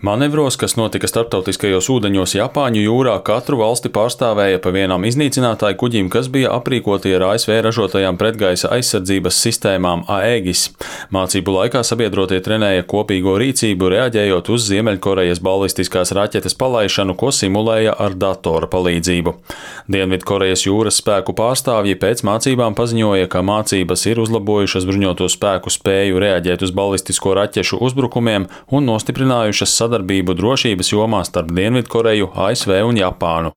Manevros, kas notika starptautiskajos ūdeņos Japāņu jūrā, katru valsti pārstāvēja pa vienam iznīcinātāju kuģim, kas bija aprīkoti ar ASV ražotajām pretgaisa aizsardzības sistēmām Aegis. Mācību laikā sabiedrotie trenēja kopīgo rīcību, reaģējot uz Ziemeļkorejas balistiskās raķetes palaišanu, ko simulēja ar datora palīdzību. Dienvidkorejas jūras spēku pārstāvji pēc mācībām paziņoja, ka mācības ir uzlabojušas bruņoto spēku spēju reaģēt uz balistisko raķešu uzbrukumiem un nostiprinājušas sadarbību drošības jomā starp Dienvidkoreju, ASV un Japānu.